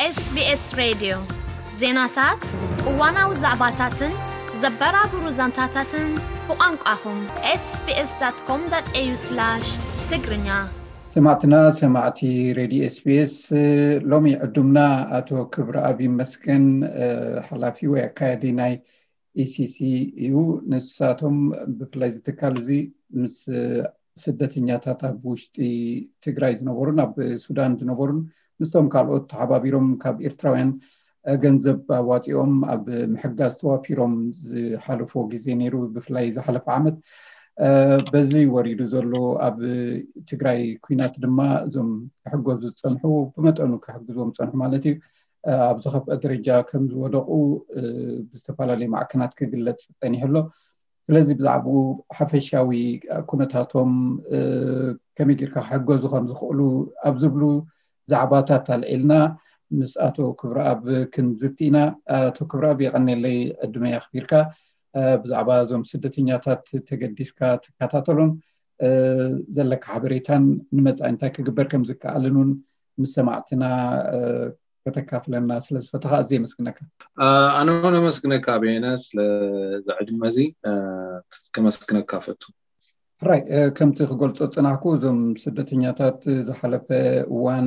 SBS ሬድዮ ዜናታት፣ እዋናዊ ዛዕባታትን ዘበራብሩ ዛንታታትን ብቋንቋኹም ኤስቢኤስ ዳት ኮም ዳት ኤዩ ስላሽ ትግርኛ። ሰማዕትና ሰማዕቲ ሬድዮ ኤስቢኤስ፣ ሎሚ ዕዱምና ኣቶ ክብረኣብ ይመስገን፣ ሓላፊ ወይ ኣካያዲ ናይ ኢሲሲ እዩ። ንሳቶም ብፍላይ እዚ ትካል እዚ ምስ ስደተኛታት ኣብ ውሽጢ ትግራይ ዝነበሩን ኣብ ሱዳን ዝነበሩን ምስቶም ካልኦት ተሓባቢሮም ካብ ኤርትራውያን ገንዘብ ኣዋፂኦም ኣብ ምሕጋዝ ተዋፊሮም ዝሓለፎ ግዜ ነይሩ። ብፍላይ ዝሓለፈ ዓመት በዚ ወሪዱ ዘሎ ኣብ ትግራይ ኲናት ድማ እዞም ክሕገዙ ዝፀንሑ፣ ብመጠኑ ክሕግዝዎም ዝፀንሑ ማለት እዩ፣ ኣብ ዝኸፍአ ደረጃ ከም ዝወደቑ ብዝተፈላለዩ ማዕከናት ክግለፅ ፀኒሑ ኣሎ። ስለዚ ብዛዕባኡ ሓፈሻዊ ኩነታቶም ከመይ ጌርካ ክሕገዙ ከም ዝኽእሉ ኣብ ዝብሉ ዛዕባታት ኣልዒልና ምስ ኣቶ ክብረኣብ ክንዝቲ ኢና። ኣቶ ክብረኣብ የቐኔለይ ዕድመ ኣኽቢርካ ብዛዕባ እዞም ስደተኛታት ተገዲስካ ትከታተሎን ዘለካ ሓበሬታን ንመጻኢ እንታይ ክግበር ከም ዝከኣልን እውን ምስ ሰማዕትና ከተካፍለና ስለ ዝፈተኻ ኣዝየ የመስግነካ። ኣነ እውን ኣመስግነካ በየነ፣ ስለዚ ዕድመ እዚ ከመስግነካ ፈቱ። ሕራይ፣ ከምቲ ክገልጾ ዝጸናሕኩ፣ እዞም ስደተኛታት ዝሓለፈ እዋን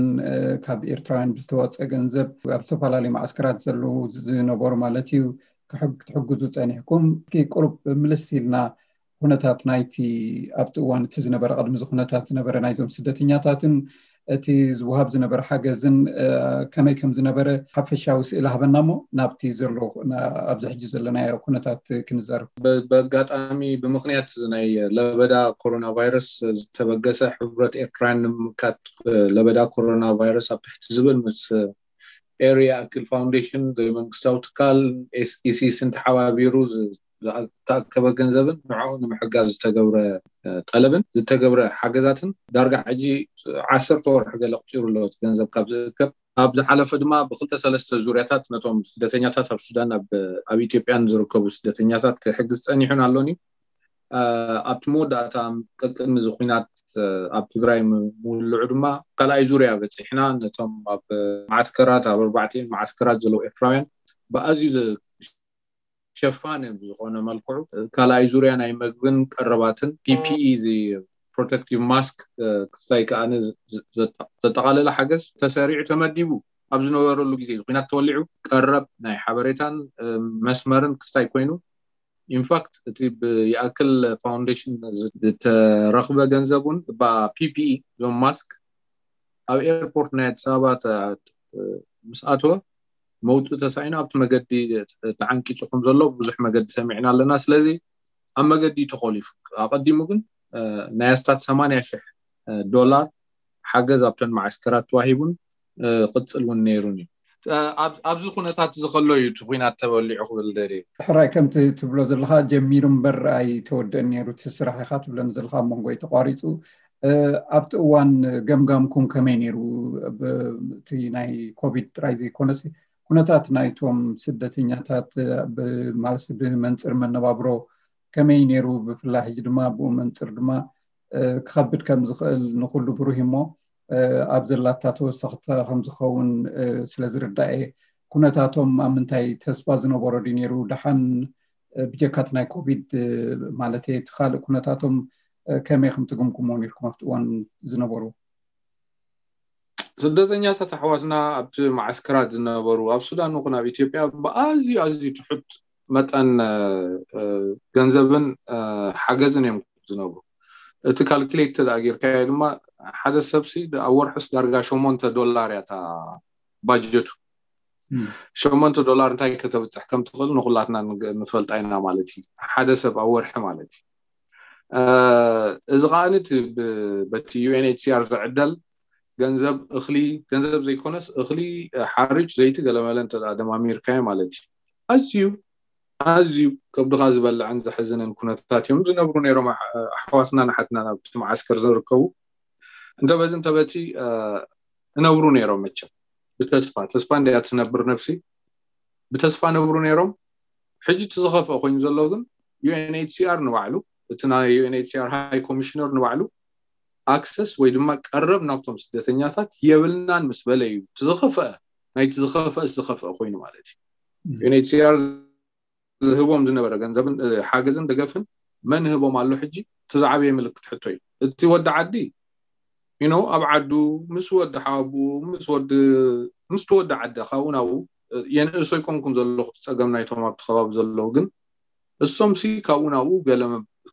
ካብ ኤርትራውያን ብዝተዋጸ ገንዘብ ኣብ ዝተፈላለዩ ማዕስከራት ዘለዉ ዝነበሩ ማለት እዩ ክትሕግዙ ጸኒሕኩም። እስኪ ቁሩብ ምልስ ኢልና ኩነታት ናይቲ ኣብቲ እዋን እቲ ዝነበረ፣ ቅድሚ እዚ ኩነታት ዝነበረ ናይዞም ስደተኛታትን እቲ ዝወሃብ ዝነበረ ሓገዝን ከመይ ከም ዝነበረ ሓፈሻዊ ስእሊ ሃበና እሞ ናብቲ ዘሎ ኣብዚ ሕጂ ዘለናዮ ኩነታት ክንዛረብ። በኣጋጣሚ ብምኽንያት እዚ ናይ ለበዳ ኮሮና ቫይረስ ዝተበገሰ ሕብረት ኤርትራውያን ንምምካት ለበዳ ኮሮና ቫይረስ ኣብ ትሕቲ ዝብል ምስ ኤርያ ኣክል ፋውንዴሽን ዘይመንግስታዊ ትካል ኢሲስን ተሓባቢሩ ዝተኣከበ ገንዘብን ንዕኡ ንምሕጋዝ ዝተገብረ ጠለብን ዝተገብረ ሓገዛትን ዳርጋ ሕጂ ዓሰርተ ወርሒ ገለ ኣቑጺሩ ኣሎ እቲ ገንዘብ ካብ ዝእከብ። ኣብ ዝሓለፈ ድማ ብክልተ ሰለስተ ዙርያታት ነቶም ስደተኛታት ኣብ ሱዳን ኣብ ኢትዮጵያን ዝርከቡ ስደተኛታት ክሕግዝ ጸኒሑን ኣሎን እዩ። ኣብቲ መወዳእታ ቀቅድሚ እዚ ኲናት ኣብ ትግራይ ምውልዑ ድማ ካልኣይ ዙርያ በፂሕና ነቶም ኣብ ማዓስከራት ኣብ ኣርባዕቲኡ ማዓስከራት ዘለዉ ኤርትራውያን ብኣዝዩ ሸፋን ብዝኾነ መልክዑ ካልኣይ ዙርያ ናይ መግብን ቀረባትን ፒፒኢ እዚ ፕሮቴክቲቭ ማስክ ክስታይ ከኣ ዘጠቓለለ ሓገዝ ተሰሪዑ ተመዲቡ ኣብ ዝነበረሉ ግዜ እዚ ኲናት ተወሊዑ ቀረብ ናይ ሓበሬታን መስመርን ክስታይ ኮይኑ ኢንፋክት እቲ ብይኣክል ፋውንዴሽን ዝተረኽበ ገንዘብ እውን እባ ፒፒኢ እዞም ማስክ ኣብ ኤርፖርት ናይ ኣዲስ ኣበባ ምስ ኣተወ መውፅኢ ተሳኢኑ ኣብቲ መገዲ ተዓንቂፁ ከም ዘሎ ብዙሕ መገዲ ሰሚዕና ኣለና። ስለዚ ኣብ መገዲ ተኾሊፉ ኣቐዲሙ ግን ናይ ኣስታት ሰማንያ ሽሕ ዶላር ሓገዝ ኣብተን ማዓስከራት ተዋሂቡን ክቕፅል እውን ነይሩን እዩ። ኣብዚ ኩነታት እዚ ከሎ እዩ እቲ ኲናት ተበሊዑ ክብል ደልየ። ሕራይ ከምቲ ትብሎ ዘለኻ ጀሚሩ እምበር ኣይተወደአን ነይሩ እቲ ስራሕ ኢኻ ትብለኒ ዘለኻ ኣብ መንጎ እዩ ተቋሪፁ። ኣብቲ እዋን ገምጋምኩም ከመይ ነይሩ? እቲ ናይ ኮቪድ ጥራይ ዘይኮነስ ኩነታት ናይቶም ስደተኛታት ማለት ብመንፅር መነባብሮ ከመይ ነይሩ? ብፍላይ ሕጂ ድማ ብኡ መንፅር ድማ ክኸብድ ከም ዝኽእል ንኹሉ ብሩህ እሞ ኣብ ዘላታ ተወሰኽቲ ከም ዝኸውን ስለ ዝርዳእ እየ። ኩነታቶም ኣብ ምንታይ ተስፋ ዝነበሮ ድዩ ነይሩ? ደሓን ብጀካ እቲ ናይ ኮቪድ ማለት እቲ ካልእ ኩነታቶም ከመይ ከም ትግምግሞ ነርኩም ኣብቲ እዋን ዝነበሩ? ስደተኛታት ኣሕዋትና ኣብቲ ማዓስከራት ዝነበሩ ኣብ ሱዳን ይኹን ኣብ ኢትዮጵያ ብኣዝዩ ኣዝዩ ትሑት መጠን ገንዘብን ሓገዝን እዮም ዝነብሩ። እቲ ካልኩሌት ተደኣ ጌርካዮ ድማ ሓደ ሰብሲ ኣብ ወርሕስ ዳርጋ ሸሞንተ ዶላር እያ እታ ባጀቱ። ሸሞንተ ዶላር እንታይ ከተብፅሕ ከም ትኽእል ንኩላትና ንፈልጣ ኢና ማለት እዩ፣ ሓደ ሰብ ኣብ ወርሒ ማለት እዩ። እዚ ከዓኒ በቲ ዩኤንኤችሲኣር ዝዕደል ገንዘብ እኽሊ፣ ገንዘብ ዘይኮነስ እኽሊ፣ ሓርጭ፣ ዘይቲ ገለመለ እንተ ደማሚርካዮ ማለት እዩ። ኣዝዩ ኣዝዩ ከብድኻ ዝበልዕን ዘሕዝንን ኩነታት እዮም ዝነብሩ ነይሮም ኣሕዋትናን ኣሓትናን ኣብቲ መዓስከር ዝርከቡ። እንተበዚ እንተበቲ እነብሩ ነይሮም መቸም ብተስፋ ተስፋ እንድያ ትነብር ነብሲ። ብተስፋ ነብሩ ነይሮም። ሕጂ እቲ ዝኸፍአ ኮይኑ ዘሎ ግን ዩኤንኤችሲኣር ንባዕሉ እቲ ናይ ዩኤንኤችሲኣር ሃይ ኮሚሽነር ንባዕሉ ኣክሰስ ወይ ድማ ቀረብ ናብቶም ስደተኛታት የብልናን ምስ በለ እዩ እቲ ዝኸፍአ ናይቲ ዝኸፍአ ዝኸፍአ ኮይኑ ማለት እዩ። ዩኤንኤችሲኣር ዝህቦም ዝነበረ ገንዘብን ሓገዝን ደገፍን መን ህቦም ኣሎ? ሕጂ እቲ ዝዓበየ ምልክት ሕቶ እዩ። እቲ ወዲ ዓዲ you know ኣብ ዓዱ ምስ ወዲ ሓወቦኡ ምስ ወዲ ምስቲ ወዲ ዓዲ ካብኡ ናብኡ የንእሶ ኣይኮንኩን ዘለኹ። እቲ ጸገም ናይቶም ኣብቲ ከባቢ ዘለዉ ግን እሶምሲ ካብኡ ናብኡ ገለ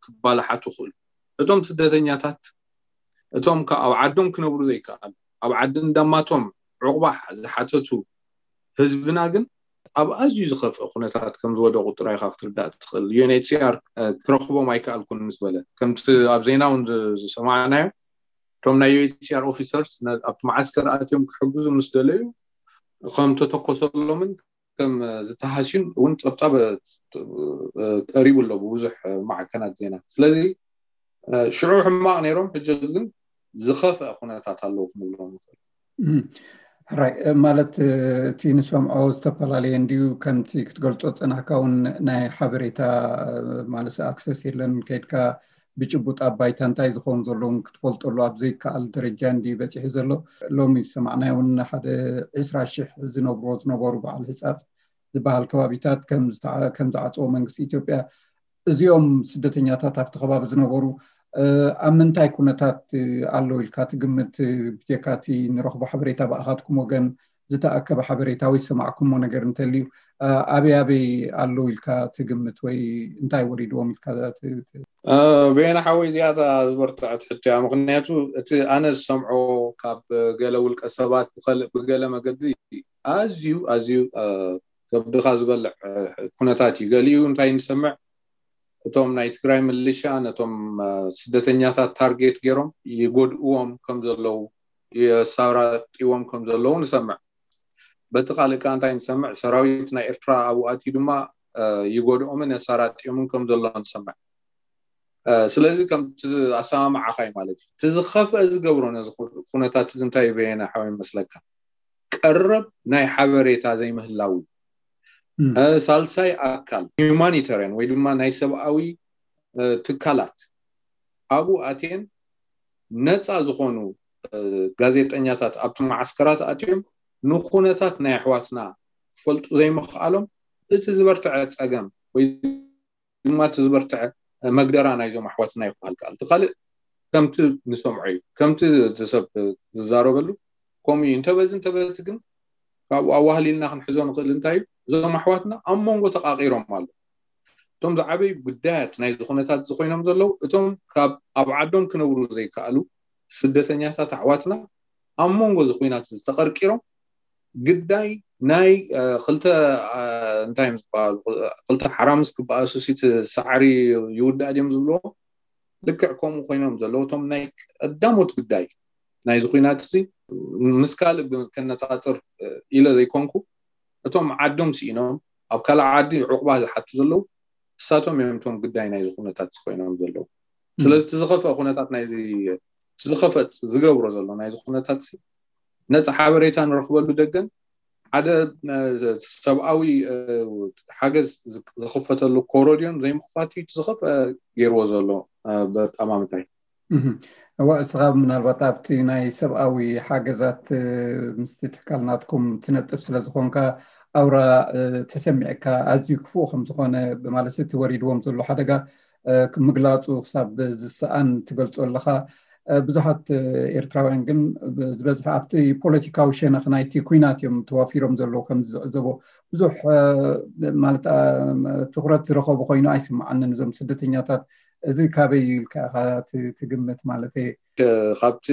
ክባላሓቱ ይኽእሉ። እቶም ስደተኛታት እቶም ከ ኣብ ዓዶም ክነብሩ ዘይከኣሉ ኣብ ዓዲ እንዳማቶም ዕቑባ ዝሓተቱ ህዝብና ግን ኣብ ኣዝዩ ዝኸፍአ ኩነታት ከም ዝወደቑ ጥራይ ኢኻ ክትርዳእ ትኽእል። ዩኤንኤችሲኣር ክረኽቦም ኣይከኣልኩን ምስ በለ ከምቲ ኣብ ዜና እውን ዝሰማዕናዮ እቶም ናይ ዩኤንኤችሲኣር ኦፊሰርስ ኣብቲ መዓስከር ኣትዮም ክሕግዙ ምስ ደለዩ ከም ተተኮሰሎምን ከም ዝተሃስዩን እውን ፀብፃብ ቀሪቡ ኣሎ ብብዙሕ ማዕከናት ዜና። ስለዚ ሽዑ ሕማቕ ነይሮም፣ ሕጂ ግን ዝኸፍአ ኩነታት ኣለዉ ክንብሎም ንኽእል። ሕራይ ማለት እቲ ንሰምዖ ዝተፈላለየ እንድዩ። ከምቲ ክትገልጾ ዝጸናሕካ እውን ናይ ሓበሬታ ማለት ኣክሰስ የለን። ከይድካ ብጭቡጥ ኣብ ባይታ እንታይ ዝኸውን ዘለውን ክትፈልጠሉ ኣብ ዘይከኣል ደረጃ እንድዩ በጺሑ ዘሎ። ሎሚ ዝሰማዕናዮ እውን ሓደ ዕስራ ሽሕ ዝነብርዎ ዝነበሩ በዓል ህጻጽ ዝበሃል ከባቢታት ከም ዝዓጽዎ መንግስቲ ኢትዮጵያ እዚኦም ስደተኛታት ኣብቲ ከባቢ ዝነበሩ ኣብ ምንታይ ኩነታት ኣለዉ ኢልካ ትግምት? ብጀካቲ ንረኽቦ ሓበሬታ ብኣኻትኩም ወገን ዝተኣከበ ሓበሬታ ወይ ዝሰማዕኩሞ ነገር እንተልዩ ኣበይ ኣበይ ኣለዉ ኢልካ ትግምት ወይ እንታይ ወሪድዎም ኢልካ? በየነ ሓወይ እዚኣታ ዝበርትዐት ሕቶ እያ። ምክንያቱ እቲ ኣነ ዝሰምዖ ካብ ገለ ውልቀ ሰባት ብገለ መገዲ ኣዝዩ ኣዝዩ ከብድኻ ዝበልዕ ኩነታት እዩ። ገሊኡ እንታይ ንሰምዕ እቶም ናይ ትግራይ ምልሻ ነቶም ስደተኛታት ታርጌት ገይሮም ይጎድእዎም ከም ዘለዉ የሳራጥዎም ከም ዘለዉ ንሰምዕ። በቲ ካልእ ከዓ እንታይ ንሰምዕ ሰራዊት ናይ ኤርትራ ኣብኡ ኣትዩ ድማ ይጎድኦምን የሳራጥዮምን ከም ዘሎ ንሰምዕ። ስለዚ ከምቲ ኣሰማምዓኻ እዩ ማለት እዩ። እቲ ዝኸፍአ ዝገብሮ ነዚ ኩነታት እዚ እንታይ በየነ ሓወይ መስለካ? ቀረብ ናይ ሓበሬታ ዘይምህላው። ሳልሳይ ኣካል ሂዩማኒታርያን ወይ ድማ ናይ ሰብኣዊ ትካላት ኣብኡ ኣትየን ነፃ ዝኾኑ ጋዜጠኛታት ኣብቲ መዓስከራት ኣትዮም ንኩነታት ናይ ኣሕዋትና ክፈልጡ ዘይምኽኣሎም እቲ ዝበርትዐ ፀገም ወይ ድማ እቲ ዝበርትዐ መግደራ ናይዞም ኣሕዋትና ይበሃል ከኣል። እቲ ካልእ ከምቲ ንሰምዖ እዩ፣ ከምቲ ሰብ ዝዛረበሉ ከምኡ እዩ። እንተበዚ እንተበቲ ግን ካብኡ ኣዋህሊልና ክንሕዞ ንኽእል እንታይ እዩ? እዞም ኣሕዋትና ኣብ መንጎ ተቃቂሮም ኣሎ። እቶም ዝዓበዩ ጉዳያት ናይዚ ኩነታት እዚ ኮይኖም ዘለዉ እቶም ካብ ኣብ ዓዶም ክነብሩ ዘይከኣሉ ስደተኛታት ኣሕዋትና ኣብ መንጎ እዚ ኩናት ዝተቐርቂሮም ግዳይ ናይ ክልተ እንታይ እዮም ዝበሃሉ ክልተ ሓራምስ ክበኣሱ ሲቲ ሳዕሪ ይውዳእ ድዮም ዝብልዎ ልክዕ ከምኡ ኮይኖም ዘለዉ እቶም ናይ ቀዳሞት ግዳይ ናይዚ ኩናት እዚ ምስ ካልእ ከነፃፅር ኢለ ዘይኮንኩ እቶም ዓዶም ስኢኖም ኣብ ካልእ ዓዲ ዕቑባ ዝሓቱ ዘለዉ እሳቶም እዮም እቶም ግዳይ ናይዚ ኩነታት ኮይኖም ዘለዉ። ስለዚ እቲ ዝኸፍአ ኩነታት ናይዚ ዝኸፈት ዝገብሮ ዘሎ ናይዚ ኩነታት ነፃ ሓበሬታ ንረኽበሉ ደገን ሓደ ሰብኣዊ ሓገዝ ዝኽፈተሉ ኮሮድዮን ዘይምኽፋት እዩ ዝኸፍአ ገይርዎ ዘሎ በጣማምታይ። እዋ እስኻ ምናልባት ኣብቲ ናይ ሰብኣዊ ሓገዛት ምስቲ ትካል ናትኩም ትነጥፍ ስለ ዝኾንካ ኣውራ ተሰሚዕካ ኣዝዩ ክፉእ ከም ዝኾነ ማለት እቲ ወሪድዎም ዘሎ ሓደጋ ምግላፁ ክሳብ ዝሰኣን ትገልፆ ኣለኻ። ብዙሓት ኤርትራውያን ግን ዝበዝሐ ኣብቲ ፖለቲካዊ ሸነኽ ናይቲ ኩናት እዮም ተዋፊሮም ዘለዉ ከም ዝዕዘቦ ብዙሕ ማለት ትኩረት ዝረኸቡ ኮይኑ ኣይስምዓንን እዞም ስደተኛታት። እዚ ካበይ እዩ ኢልካ ኢኻ ትግምት ማለት እየ? ካብቲ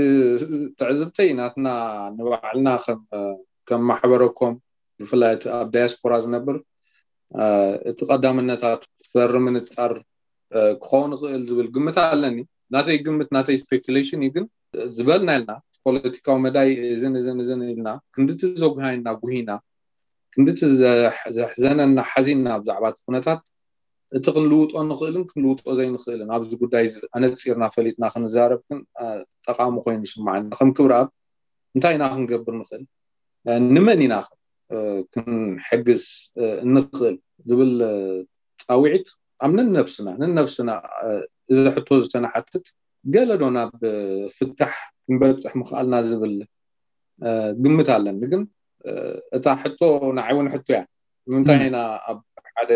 ትዕዝብተይ ናትና ንባዕልና ከም ማሕበረኮም ብፍላይ እቲ ኣብ ዳያስፖራ ዝነብር እቲ ቀዳምነታት ክሰሪ ምንፃር ክኸውን ይኽእል ዝብል ግምት ኣለኒ። ናተይ ግምት ናተይ ስፔኩሌሽን እዩ። ግን ዝበልና ኢልና ፖለቲካዊ መዳይ እዝን እዝን እዝን ኢልና ክንድቲ ዘጉሃይና ጉሂና ክንድቲ ዘሕዘነና ሓዚንና ብዛዕባ እቲ ኩነታት እቲ ክንልውጦ ንኽእልን ክንልውጦ ዘይንኽእልን ኣብዚ ጉዳይ ኣነፂርና ፈሊጥና ክንዛረብ ግን ጠቓሚ ኮይኑ ይስማዓኒ። ከም ክብረኣብ እንታይ ኢና ክንገብር ንኽእል? ንመን ኢና ክንሕግዝ እንኽእል ዝብል ፃውዒት ኣብ ነንነብስና ነንነብስና እዚ ሕቶ ዝተንሓትት ገለ ዶ ናብ ፍታሕ ክንበፅሕ ምኽኣልና ዝብል ግምት ኣለኒ። ግን እታ ሕቶ ንዓይ እውን ሕቶ እያ። ንምንታይ ኢና ኣብ ሓደ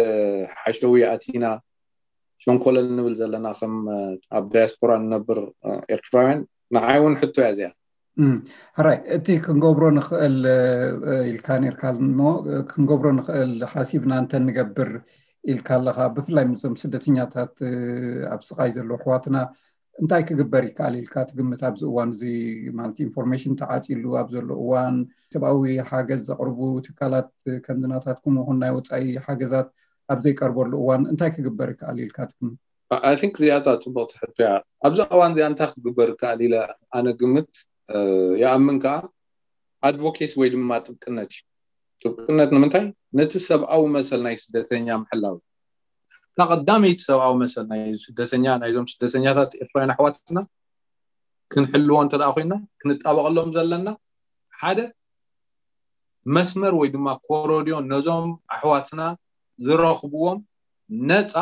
ሓሸዊ ኣቲና ሸንኮለል ንብል ዘለና ከም ኣብ ዳያስፖራ ንነብር ኤርትራውያን? ንዓይ እውን ሕቶ እያ እዚኣ። ሕራይ፣ እቲ ክንገብሮ ንኽእል ኢልካ ነርካ እሞ፣ ክንገብሮ ንኽእል ሓሲብና እንተንገብር ኢልካ ኣለኻ፣ ብፍላይ ምስዞም ስደተኛታት ኣብ ስቓይ ዘለዉ ኣሕዋትና እንታይ ክግበር ይከኣል ኢልካ ትግምት? ኣብዚ እዋን እዚ ማለት ኢንፎርሜሽን ተዓፂሉ ኣብ ዘሎ እዋን፣ ሰብኣዊ ሓገዝ ዘቕርቡ ትካላት ከምዚ ናታትኩም ይኹን ናይ ወፃኢ ሓገዛት ኣብ ዘይቀርበሉ እዋን እንታይ ክግበር ይከኣል ኢልካ ትግምት? I think እዚኣታ ፅቡቕቲ ሕቶ እያ። ኣብዚ እዋን እዚኣ እንታይ ክግበር ይከኣል ኢለ ኣነ ግምት ይኣምን ከዓ ኣድቮኬሲ ወይ ድማ ጥብቅነት እዩ። ጥብቅነት ንምንታይ? ነቲ ሰብኣዊ መሰል ናይ ስደተኛ ምሕላው። እታ ቀዳመይቲ ሰብኣዊ መሰል ናይ ስደተኛ፣ ናይዞም ስደተኛታት ኤርትራውያን ኣሕዋትና ክንሕልዎ እንተ ደኣ ኮይና፣ ክንጣበቐሎም ዘለና ሓደ መስመር ወይ ድማ ኮረድዮ ነዞም ኣሕዋትና ዝረኽብዎም ነፃ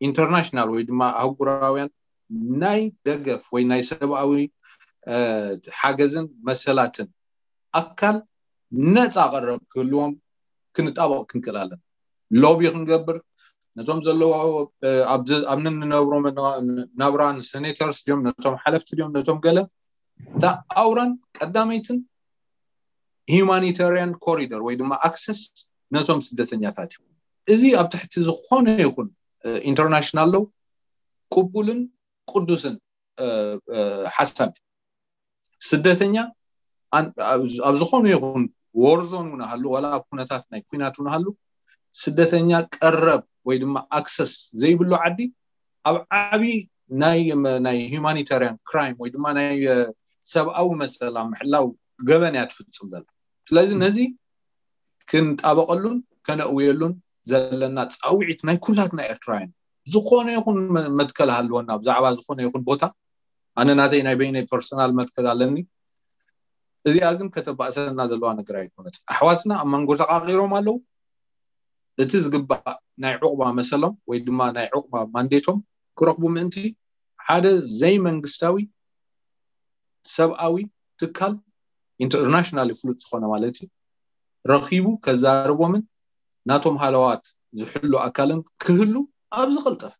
ኢንተርናሽናል ወይ ድማ ኣህጉራውያን ናይ ደገፍ ወይ ናይ ሰብኣዊ ሓገዝን መሰላትን ኣካል ነፃ ቀረብ ክህልዎም ክንጣበቕ ክንክእል ኣለና። ሎቢ ክንገብር፣ ነቶም ዘለዎ ኣብ ንንነብሮ ናብራን ሴኔተርስ ድዮም፣ ነቶም ሓለፍቲ ድዮም፣ ነቶም ገለ፣ እታ ኣውራን ቀዳመይትን ሂማኒታሪያን ኮሪደር ወይ ድማ ኣክሰስ ነቶም ስደተኛታት እዩ። እዚ ኣብ ትሕቲ ዝኾነ ይኹን ኢንተርናሽናል ሎው ቅቡልን ቅዱስን ሓሳብ። ስደተኛ ኣብ ዝኾኑ ይኹን ወርዞን እውን ሃሉ፣ ዋላ ኣብ ኩነታት ናይ ኩናት እውን ሃሉ፣ ስደተኛ ቀረብ ወይ ድማ ኣክሰስ ዘይብሉ ዓዲ ኣብ ዓቢ ናይ ናይ ሂማኒታሪያን ክራይም ወይ ድማ ናይ ሰብኣዊ መሰል ኣብ ምሕላው ገበን እያ ትፍጽም ዘላ። ስለዚ ነዚ ክንጣበቐሉን ከነእውየሉን ዘለና ፃውዒት ናይ ኩላትና ኤርትራውያን፣ ዝኾነ ይኹን መትከል ሃልወና ብዛዕባ ዝኾነ ይኹን ቦታ፣ ኣነ ናተይ ናይ በይነይ ፐርሰናል መትከል ኣለኒ። እዚኣ ግን ከተባእሰና ዘለዋ ነገር ኣይኮነት። ኣሕዋትና ኣብ መንጎ ተቃቂሮም ኣለዉ። እቲ ዝግባእ ናይ ዕቁባ መሰሎም ወይ ድማ ናይ ዕቁባ ማንዴቶም ክረኽቡ ምእንቲ ሓደ ዘይመንግስታዊ ሰብኣዊ ትካል ኢንተርናሽናል ፍሉጥ ዝኾነ ማለት እዩ ረኺቡ ከዛርቦምን ናቶም ሃለዋት ዝሕሉ ኣካልን ክህሉ ኣብ ዝቐልጠፈ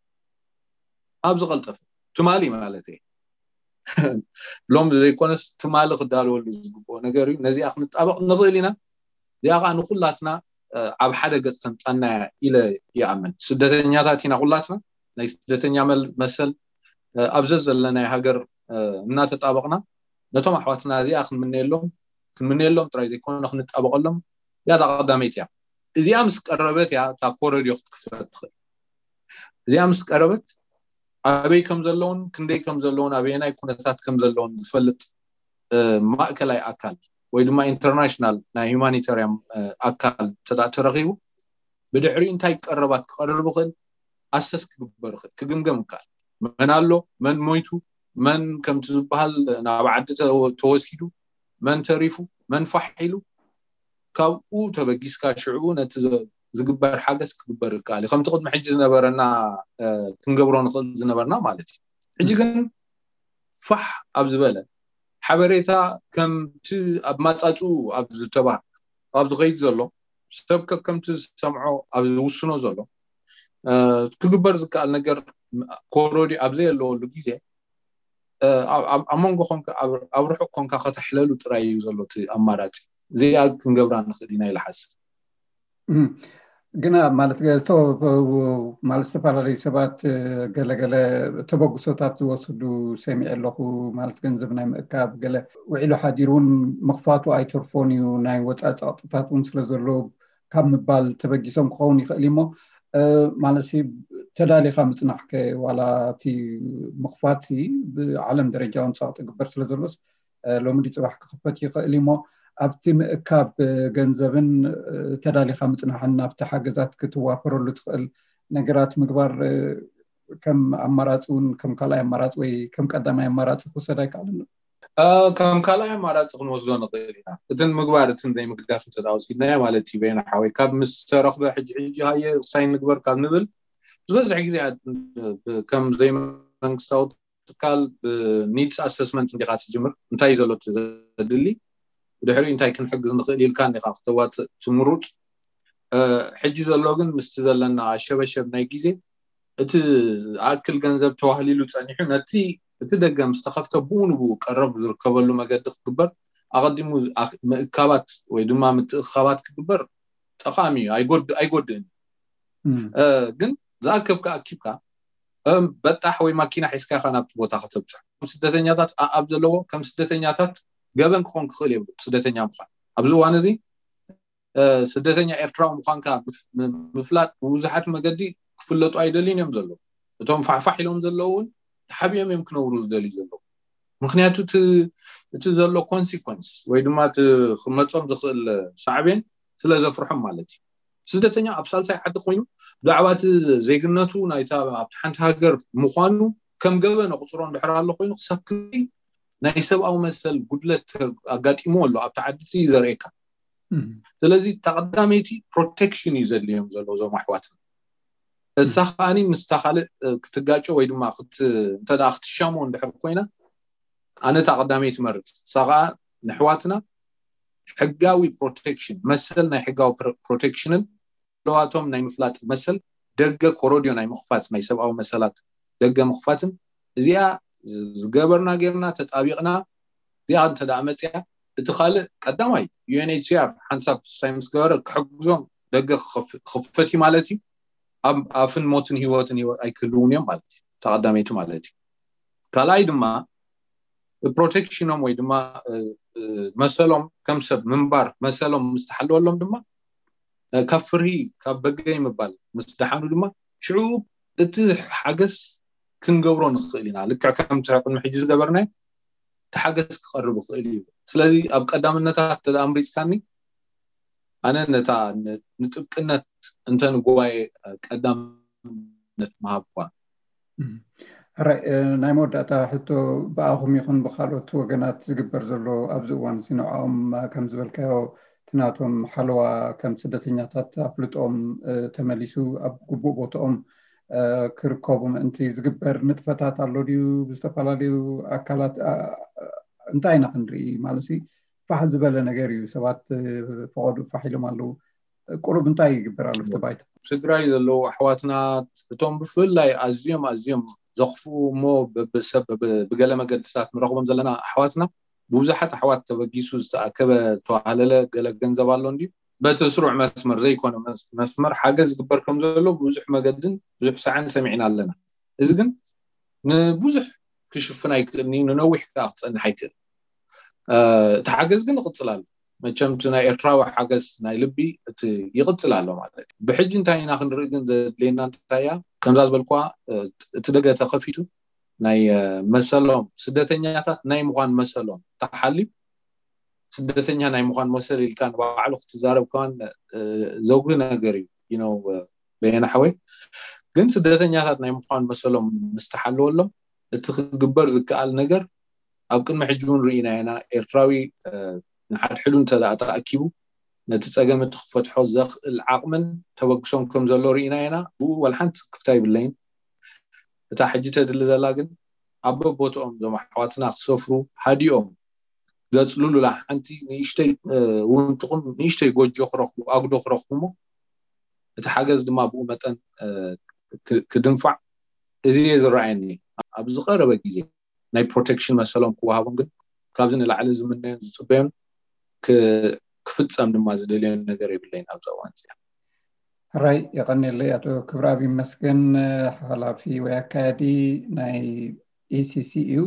ኣብ ዝቐልጠፈ ትማሊ ማለት እየ። ሎም ዘይኮነስ ትማሊ ክዳለወሉ ዝግብኦ ነገር እዩ። ነዚኣ ክንጣበቕ ንኽእል ኢና። እዚኣ ከዓ ንኩላትና ኣብ ሓደ ገፅ ተምፃና ኢለ ይኣምን። ስደተኛታት ኢና ኩላትና። ናይ ስደተኛ መሰል ኣብ ዘዘለናይ ሃገር እናተጣበቕና ነቶም ኣሕዋትና እዚኣ ክንምነየሎም ክንምነየሎም ጥራይ ዘይኮነ ክንጣበቐሎም እያ እታ ቀዳመይቲ እያ። እዚኣ ምስ ቀረበት እያ እታ ኮረድዮ ክትክፈት ትኽእል። እዚኣ ምስ ቀረበት ኣበይ ከም ዘለውን ክንደይ ከም ዘለውን ኣበየናይ ኩነታት ከም ዘለውን ዝፈልጥ ማእከላይ ኣካል ወይ ድማ ኢንተርናሽናል ናይ ሁማኒታርያን ኣካል ተረኺቡ ብድሕሪኡ እንታይ ቀረባት ክቐርብ ይኽእል ኣሰስ ክግበር ይኽእል ክግምገም ይከኣል። መን ኣሎ፣ መን ሞይቱ፣ መን ከምቲ ዝበሃል ናብ ዓዲ ተወሲዱ፣ መን ተሪፉ፣ መን ፋሕ ኢሉ ካብኡ ተበጊስካ ሽዕኡ ነቲ ዝግበር ሓገዝ ክግበር ይከኣል እዩ። ከምቲ ቅድሚ ሕጂ ዝነበረና ክንገብሮ ንኽእል ዝነበርና ማለት እዩ። ሕጂ ግን ፋሕ ኣብ ዝበለ ሓበሬታ ከምቲ ኣብ ማፃፅኡ ኣብ ዝተባህ ኣብ ዝኸይድ ዘሎ ሰብ ከከምቲ ዝሰምዖ ኣብ ዝውስኖ ዘሎ ክግበር ዝከኣል ነገር ኮረዲ ኣብ ዘየለወሉ ግዜ ኣብ መንጎ ኮንካ ኣብ ርሑቕ ኮንካ ከተሕለሉ ጥራይ እዩ ዘሎ እቲ ኣማራፂ። እዚኣ ክንገብራ ንኽእል ኢና ኢለ ሓስብ። ግና ማለት ማለት ዝተፈላለዩ ሰባት ገለገለ ተበግሶታት ዝወስዱ ሰሚዐ ኣለኹ። ማለት ገንዘብ ናይ ምእካብ ገለ ውዒሉ ሓዲሩ እውን ምኽፋቱ ኣይተርፎን እዩ፣ ናይ ወፃኢ ፀቕጥታት እውን ስለ ዘሎ ካብ ምባል ተበጊሶም ክኸውን ይኽእል እሞ ማለት ተዳሊኻ ምፅናሕከ ዋላ እቲ ምኽፋት ብዓለም ደረጃ እውን ፀቕጢ ግበር ስለ ዘሎስ ሎሚ ድፅባሕ ክኽፈት ይኽእል እሞ ኣብቲ ምእካብ ገንዘብን ተዳሊኻ ምፅናሕን ናብቲ ሓገዛት ክትዋፈረሉ ትኽእል ነገራት ምግባር ከም ኣማራፂ እውን ከም ካልኣይ ኣማራፂ ወይ ከም ቀዳማይ ኣማራፂ ክውሰድ ኣይከኣልን። ከም ካልኣይ ኣማራፂ ክንወስዶ ንኽእል ኢና። እትን ምግባር እትን ዘይምግዳፍ እንተወሲድናዮ ማለት እዩ። በየና ሓወይ ካብ ምስ ተረኽበ ሕጂ ሕጂ ሃየ ሳይን ንግበር ካብ ንብል ዝበዝሕ ግዜ ከም ዘይመንግስታዊ ትካል ብኒድስ ኣሰስመንት እንዲኻ ትጅምር። እንታይ እዩ ዘሎ ዘድሊ ድሕሪኡ እንታይ ክንሕግዝ ንኽእል ኢልካ እንዲኻ ክተዋፅእ ትምሩፅ። ሕጂ ዘሎ ግን ምስቲ ዘለና ኣሸበሸብ ናይ ግዜ እቲ ዝኣክል ገንዘብ ተዋህሊሉ ፀኒሑ ነቲ እቲ ደገ ምስ ተኸፍተ ብኡ ንብኡ ቀረብ ዝርከበሉ መገዲ ክግበር ኣቐዲሙ ምእካባት ወይ ድማ ምትእኻባት ክግበር ጠቓሚ እዩ፣ ኣይጎድእን። ግን ዝኣከብካ ኣኪብካ በጣሕ ወይ ማኪና ሒዝካ ኢኻ ናብቲ ቦታ ከተብፅሕ። ስደተኛታት ኣኣብ ዘለዎ ከም ስደተኛታት ገበን ክኾን ክኽእል የብሉ። ስደተኛ ምዃን ኣብዚ እዋን እዚ ስደተኛ ኤርትራዊ ምዃንካ ምፍላጥ ብብዙሓት መገዲ ክፍለጡ ኣይደልዩን እዮም ዘለዉ። እቶም ፋሕፋሕ ኢሎም ዘለዉ እውን ተሓቢኦም እዮም ክነብሩ ዝደልዩ ዘለዉ። ምክንያቱ እቲ ዘሎ ኮንሲኮንስ ወይ ድማ እቲ ክመፆም ዝኽእል ሳዕቤን ስለ ዘፍርሖም ማለት እዩ። ስደተኛ ኣብ ሳልሳይ ዓዲ ኮይኑ ብዛዕባ እቲ ዜግነቱ ናይታ ኣብቲ ሓንቲ ሃገር ምዃኑ ከም ገበን ኣቑፅሮ እንድሕር ኣሎ ኮይኑ ክሳብ ክንደይ ናይ ሰብኣዊ መሰል ጉድለት ኣጋጢሞ ኣሎ ኣብቲ ዓዲ እዩ ዘርእየካ። ስለዚ ተቐዳመይቲ ፕሮቴክሽን እዩ ዘድልዮም ዘሎ እዞም ኣሕዋትና። እሳ ከዓኒ ምስታ ካልእ ክትጋጮ ወይ ድማ እንተ ክትሻሞ እንድሕር ኮይና ኣነ እታ ቀዳመይቲ መርፅ። እሳ ከዓ ንሕዋትና ሕጋዊ ፕሮቴክሽን መሰል ናይ ሕጋዊ ፕሮቴክሽንን ለዋቶም ናይ ምፍላጥ መሰል ደገ ኮሮድዮ ናይ ምኽፋት ናይ ሰብኣዊ መሰላት ደገ ምኽፋትን እዚኣ ዝገበርና ጌርና ተጣቢቕና እዚኣ እንተ ደኣ መፅያ እቲ ካልእ ቀዳማይ ዩ ኤን ኤች ሲ ኣር ሓንሳብ ሳይ ምስ ገበረ ክሕግዞም ደገ ክኸፍ- ክኽፈት እዩ ማለት እዩ። ኣብ ኣፍን ሞትን ህይወትን ህይወት ኣይክህልውን እዮም ማለት እዩ። ተቐዳመይቲ ማለት እዩ። ካልኣይ ድማ ፕሮቴክሽኖም ወይ ድማ እ፣ እ፣ መሰሎም ከም ሰብ ምንባር መሰሎም ምስ ተሓለወሎም ድማ እ፣ ካብ ፍርሂ ካብ በገይ ምባል ምስ ደሓኑ ድማ ሽዑ እቲ ሓገዝ ክንገብሮ ንኽእል ኢና። ልክዕ ከምቲ ቅድሚ ሕጂ ዝገበርናዮ እቲ ሓገዝ ክቐርብ ይኽእል እዩ። ስለዚ ኣብ ቀዳምነታት እንተ ኣምሪፅካኒ ኣነ ነታ ን- ንጥብቅነት እንተ ንጉባኤ ቀዳምነት ምሃብኳ። ሕራይ ናይ መወዳእታ ሕቶ ብኣኹም ይኹን ብካልኦት ወገናት ዝግበር ዘሎ ኣብዚ እዋን እዚ ንዕኦም ከም ዝበልካዮ እቲ ናቶም ሓለዋ ከም ስደተኛታት ኣፍልጦም ተመሊሱ ኣብ ግቡእ ቦታኦም ክርከቡ ምእንቲ ዝግበር ንጥፈታት ኣሎ ድዩ? ብዝተፈላለዩ ኣካላት እንታይ ኢና ክንርኢ ማለት ፋሕ ዝበለ ነገር እዩ። ሰባት ፈቐዱ ፋሕ ኢሎም ኣለዉ። ቁሩብ እንታይ ይግበር ኣሎ እቲ ባይታ? ትግራይ ዘለዉ ኣሕዋትና እቶም ብፍላይ ኣዝዮም ኣዝዮም ዘኽፍኡ እሞ ብሰብ ብገለ መገድታት ንረኽቦም ዘለና ኣሕዋትና ብብዙሓት ኣሕዋት ተበጊሱ ዝተኣከበ ተዋህለለ ገለ ገንዘብ ኣሎ እንድዩ በቲ ስሩዕ መስመር ዘይኮነ መስመር ሓገዝ ዝግበር ከም ዘሎ ብብዙሕ መገድን ብዙሕ ሳዕን ሰሚዕና ኣለና። እዚ ግን ንብዙሕ ክሽፍን ኣይክእልን እዩ፣ ንነዊሕ ከዓ ክፀንሕ ኣይክእል። እቲ ሓገዝ ግን ይቕፅል ኣሎ። መቸም እቲ ናይ ኤርትራዊ ሓገዝ ናይ ልቢ እቲ ይቕፅል ኣሎ ማለት እዩ። ብሕጂ እንታይ ኢና ክንርኢ ግን ዘድልየና እንታይ እያ? ከምዛ ዝበልኳ እቲ ደገ ተኸፊቱ ናይ መሰሎም ስደተኛታት ናይ ምዃን መሰሎም ተሓልዩ ስደተኛ ናይ ምዃን መሰል ኢልካ ንባዕሉ ክትዛረብ ከማን ዘጉህ ነገር እዩ። በየነ ሓወይ ግን ስደተኛታት ናይ ምዃን መሰሎም ምስ ተሓለወሎም እቲ ክግበር ዝከኣል ነገር ኣብ ቅድሚ ሕጂ እውን ርኢና ኢና። ኤርትራዊ ንሓድሕዱ እንተ ደኣ ተኣኪቡ ነቲ ጸገም እቲ ክፈትሖ ዘኽእል ዓቕምን ተበግሶን ከም ዘሎ ርኢና ኢና። ብኡ ዋላ ሓንቲ ስክፍታ የብለይን። እታ ሕጂ ተድሊ ዘላ ግን ኣብ በቦትኦም እዞም ኣሕዋትና ክሰፍሩ ሃዲኦም ዘጽልሉላ ሓንቲ ንእሽተይ እውን ትኹን ንእሽተይ ጎጆ ክረኽቡ ኣጉዶ ክረኽቡ እሞ እቲ ሓገዝ ድማ ብኡ መጠን ክድንፋዕ እዚ እየ ዝረኣየኒ። ኣብ ዝቐረበ ግዜ ናይ ፕሮቴክሽን መሰሎም ክወሃቦም ግን ካብዚ ንላዕሊ ዝምነዮን ዝፅበዮን ክፍፀም ድማ ዝደልዮን ነገር የብለይን ኣብዚ እዋን እዚኣ። ሕራይ የቐንየለይ ኣቶ ክብረኣብ ይመስገን፣ ሓላፊ ወይ ኣካያዲ ናይ ኢሲሲ እዩ።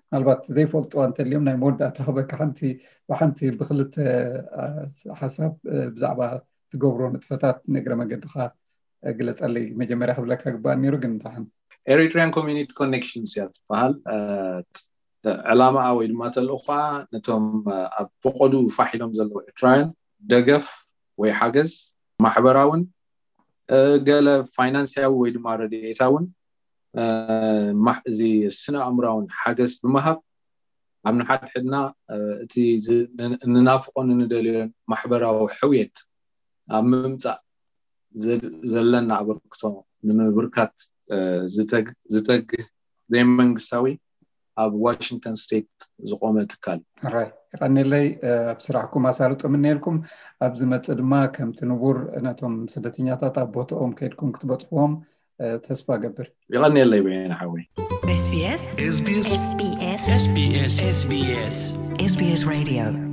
ምናልባት ዘይፈልጥዋ እንተልዮም ናይ መወዳእታ ክበካ ሓንቲ ብሓንቲ ብክልተ ሓሳብ ብዛዕባ ትገብሮ ንጥፈታት ንእግረ መገድካ ግለፀለይ። መጀመርያ ክብለካ ግባእ ነይሩ ግን ደሓን Eritrean Community Connections እያ ትበሃል። ዕላማኣ ወይ ድማ ተልእኾኣ ነቶም ኣብ ፈቐዱ ፋሕ ኢሎም ዘለዉ ኤርትራውያን ደገፍ ወይ ሓገዝ ማሕበራውን ገለ ፋይናንስያዊ ወይ ድማ ረድኤታውን እዚ ስነ ኣእምራውን ሓገዝ ብምሃብ ኣብ ንሓድሕድና እቲ እንናፍቆን እንደልዮን ማሕበራዊ ሕውየት ኣብ ምምፃእ ዘለና ኣበርክቶ ንምብርካት ዝተግህ ዘይመንግስታዊ ኣብ ዋሽንግተን ስቴት ዝቆመ ትካል። ራይ ይቐኒለይ። ኣብ ስራሕኩም ኣሳልጦ ምንኤልኩም። ኣብ ዝመፅእ ድማ ከምቲ ንቡር ነቶም ስደተኛታት ኣብ ቦታኦም ከይድኩም ክትበፅሕዎም ተስፋ ገብር። ይቐኒለይ በየነ ሓወይ። SBS SBS SBS SBS SBS Radio